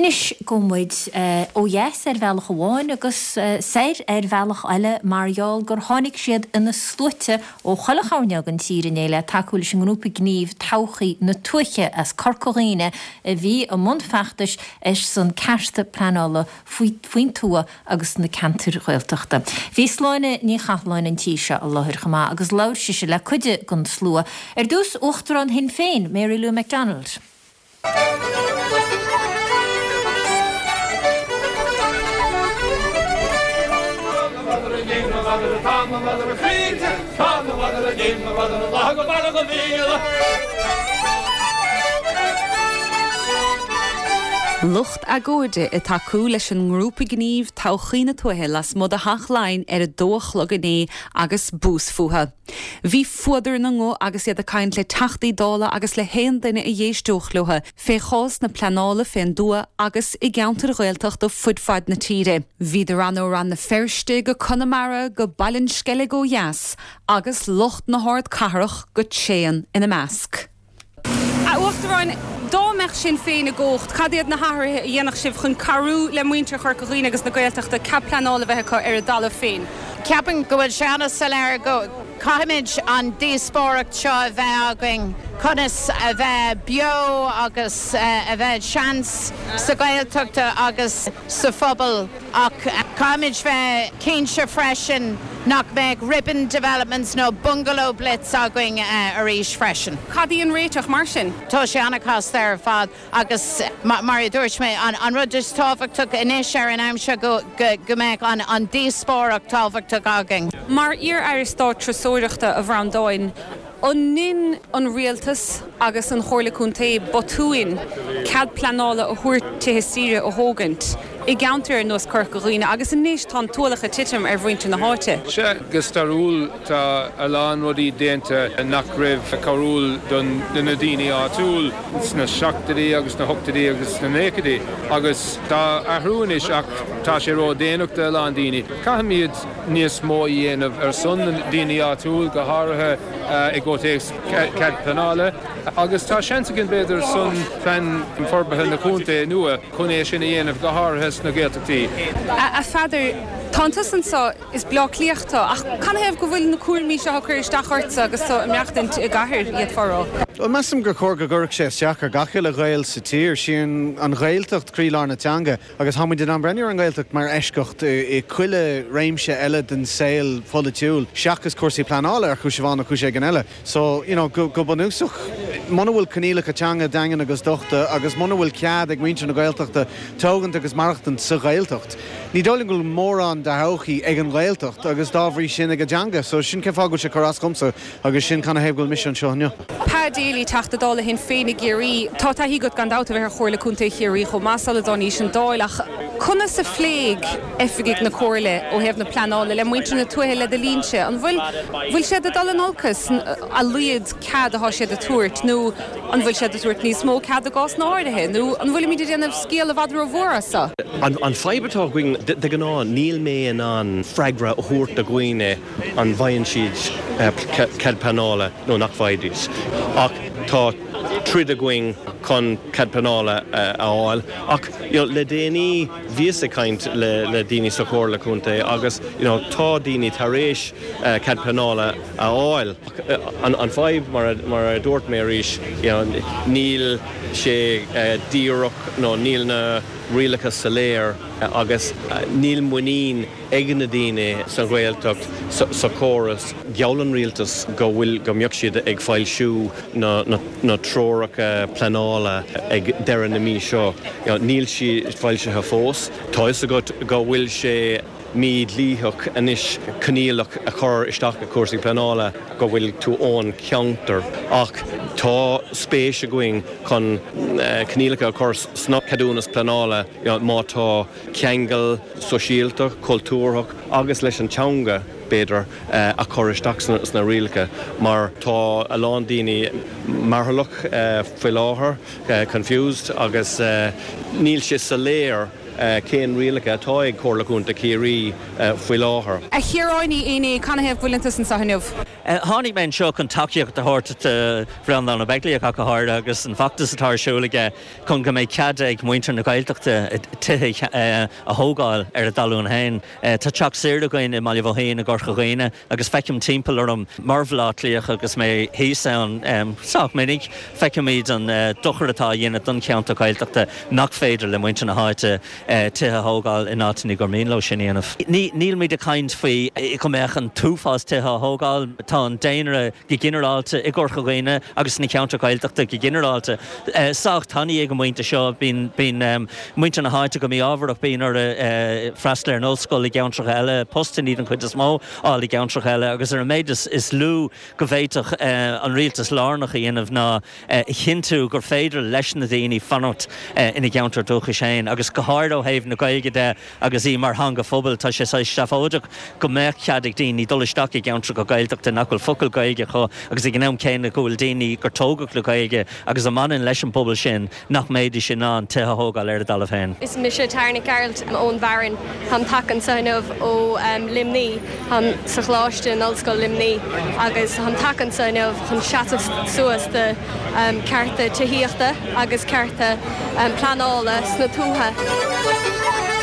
Anois gabhfaidh muid ó dheas ar bhealach amháin agus soir ar bhealach eile mar gheall gur tháinig siad ina sluaite ó chuile choirnéal den tír inné le tacú leis an ngrúpa gnímh Todhchaí na Tuaithe as Corca Dhuibhne a bhí i mbun feachtais ar son cearta pleanála faoin tuath agus sna ceantair Ghaeltachta. Bhí Sláine Ní Chathalláin an tí seo i láthair chomh maith agus labhair sise le cuid den slua. Ar dtús, Uachtarán Shinn Féin, Mary Lou McDonald. Lucht agóide ag tacú leis an ngrúpa gnímh Todhchaí na Tuaithe lasmuigh de Theach Laighean ar a dó a chlog inné agus bús fúthu. Bhí fuadar ina nguth agus iad ag caint le Teachtaí Dála agus le haon duine a d'éisteodh leo fé chás na pleanála fén dtuath agus i gceantair Ghaeltachta fud fad na tíre. Bhíodar ann ó Rann na Feirste go Conamara go Baile an Sceilg ó dheas agus lucht na hardcathrach go tréan ina measc. A Uachtaráin, dá mbeadh Sinn Féin i gcumhacht, cad iad na hathruithe a dhéanfadh sibh chun cabhrú le muintir Chorca Dhuibhne agus na Gaeltachta cead pleanála a bheith acu ar a dtalamh féin? Ceapaim go bhfuil sé an-soiléir go caithfimid an díospóireacht seo a bheith againn conas a bheith beo agus a bheith seans sa Ghaeltacht agus sa phobal. Ach caithfimid bheith cinnte freisin nach mbeadh ribbon developments nó bungalow blitz againn arís freisin. Cad í an réiteach mar sin? Tá sé an-chasta ar fad agus mar a dúirt mé, an rud is tábhachtach anois ar an am seo go mbeadh an díospóireacht tábhachtach againn. Mar iar-Aire Stáit Turasóireachta, a Bhreandáin, an ndein an Rialtas agus an Chomhairle Contae botúin cead pleanála a thabhairt tithe saoire a thógaint i gceantair ar nós Corca Dhuibhne agus anois tá an t-ualach ag titim ar mhuintir na háite. Sea, go stairiúil tá a lán rudaí déanta nach raibh cabhrúil do na daoine áitiúil sna seachtóidí agus sna hochtóidí agus sna naochaidí agus tá athrú anois ach tá sé ró-dhéanach do a lán daoine. Caithfimid níos mó a dhéanamh ar son na daoine áitiúil, go háirithe i gcomhthéacs cead pleanála agus tá seans againn b'fhéidir san plean forbartha na contae nua chun é sin a dhéanamh, go háirithe sna Gaeltachtaí. A Pheadair, tánn tusa anso, is Bleá Cliathach tú, ach canathaobh go bhfuil na cúraimí seo ag cur isteach ortsa agus tú ag maireachtaint i gcathair, d'fhéadfá a rá? Bhuel, measaim gur chóir go gcuirfeadh sé isteach ar gach uile Ghael sa tír. Sí an Ghaeltacht croílár na teanga agus tá muid in ann breathnú ar an nGaeltacht mar eisceacht i chuile réimse eile den saol pholaitiúil seachas cúrsaí pleanála ar chúis amháin nó cúis éigin eile. So, you know, go bunúsach, muna bhfuil coinníollacha teanga daingean agus dochta agus muna bhfuil cead ag muintir na Gaeltachta tógaint agus maireachtaint sa Ghaeltacht, ní dóigh liom go bhfuil mórán de thodhchaí ag an Ghaeltacht agus dá bhrí sin ag an dteanga. So, sin cén fáth go bhfuil sé ag cur as dhomsa agus sin canathaobh go bhfuil mise anseo inniu. Pa Daly, Teachta Dála Shinn Féin i gCiarraí. Tá taithí agat gan dabht a bheith ar Chomhairle Contae Chiarraí chomh maith sula dtánaís an Dáil ach conas a phléigh oifigigh na Comhairle ó thaobh na pleanála le muintir na tuaithe le do linnse? An bhfuil bhfuil siad ag dul in olcas a laghad cead atá siad ag tabhairt nó an bhfuil siad ag tabhairt níos mó cead i gcásanna áirithe nó an bhfuilimid ag déanamh scéal i bhfad rómhór as seo? An fadhb atá againn, de ghnáth níl mé in ann freagra a thabhairt do dhaoine an bhfaigheann siad cead pleanála nó nach bhfaighidís. Ach tá troid againn chun cead pleanála a fháil. Ach you know le déanaí bhíos ag caint le daoine sa Chomhairle Contae agus you know tá daoine tar éis cead pleanála a fháil. An fadhb mar a dúirt mé arís you know níl sé díreach nó níl na rialacha soiléir agus níl muinín ag na daoine sa Ghaeltacht sa chóras. Gheall an rialtas go bhfuil, go mbeadh siad ag foilsiú na na treoracha pleanála ag deireadh na mí seo. Níl siad foilsithe fós. Tá fhios agat go bhfuil sé mídhlítheach anois coinníollacha a chur isteach i cúrsaí pleanála go bhfuil tú ón cheantar ach tá spéis againn chun coinníollacha a chur sna ceadúnas pleanála má tá ceangal sóisialta, cultúrthach agus leis an teanga, b'fhéidir, a chur isteach sna rialacha mar tá a lán daoine mearbhlach faoi láthair, confused, agus níl sé soiléir cén rialacha atá ag Comhairle Contae Chiarraí faoi láthair. A Chiaráin Uí Éinné, canathaobh go bhfuileann tusa anseo inniu? Tháinig mé anseo chun tacaíocht a thabhairt do Bhreandán Ó Beaglaoich ach go háirithe agus an feachtas atá ar siúl aige chun go mbeidh cead ag muintir na Gaeltachta tithe a thógáil ar a dtalún féin. Tá teach saoire againn i mBaile Bhoithín i gCorca Dhuibhne agus feicim timpeall orm mar Bhaile Átha Cliathach agus mé thíos ann sách minic, feicimid an dochar atá á dhéanamh don cheantar Gaeltachta nach féidir le muintir na háite tithe a thógáil in áiteanna gur mian leo sin a dhéanamh. Nílmid ag caint faoi go mbeadh an t-uafás tithe á thógáil, tá an daonra go ginearálta i gCorca Dhuibhne agus sna ceantair Ghaeltachta go ginearálta sách tanaí ag an bpointe seo. Bíonn muintir na háite go mí-ámharach, bíonn orthu freastal ar an ollscoil i gceantracha eile, postannaí den chuid is mó a fháil i gceantracha eile agus ar an méid is lú go bhféadfadh an rialtas lárnach a dhéanamh ná a chinntiú gur féidir leis na daoine fanacht ina gceantar dúchais féin agus go háirithe ó thaobh na Gaeilge de agus í mar theanga phobail, tá sé saghas seafóideach go mbeadh cead ag daoine dul isteach i gceantracha Gaeltachta nach bhfuil focal Gaeilge acu agus ag an am céanna go bhfuil daoine gur tógadh le Gaeilge agus a mbaineann leis an bpobal sin nach mbeidís in ann tithe a thógáil ar a dtalamh féin. Is mise Tara Nic Gearailt ón bhFearann. Táim tagtha anseo inniu ó Luimní. Táim sa choláiste in Ollscoil Luimní agus táim tagtha anseo inniu chun seasamh suas do cearta tithíochta agus cearta pleanála sna tuaithe.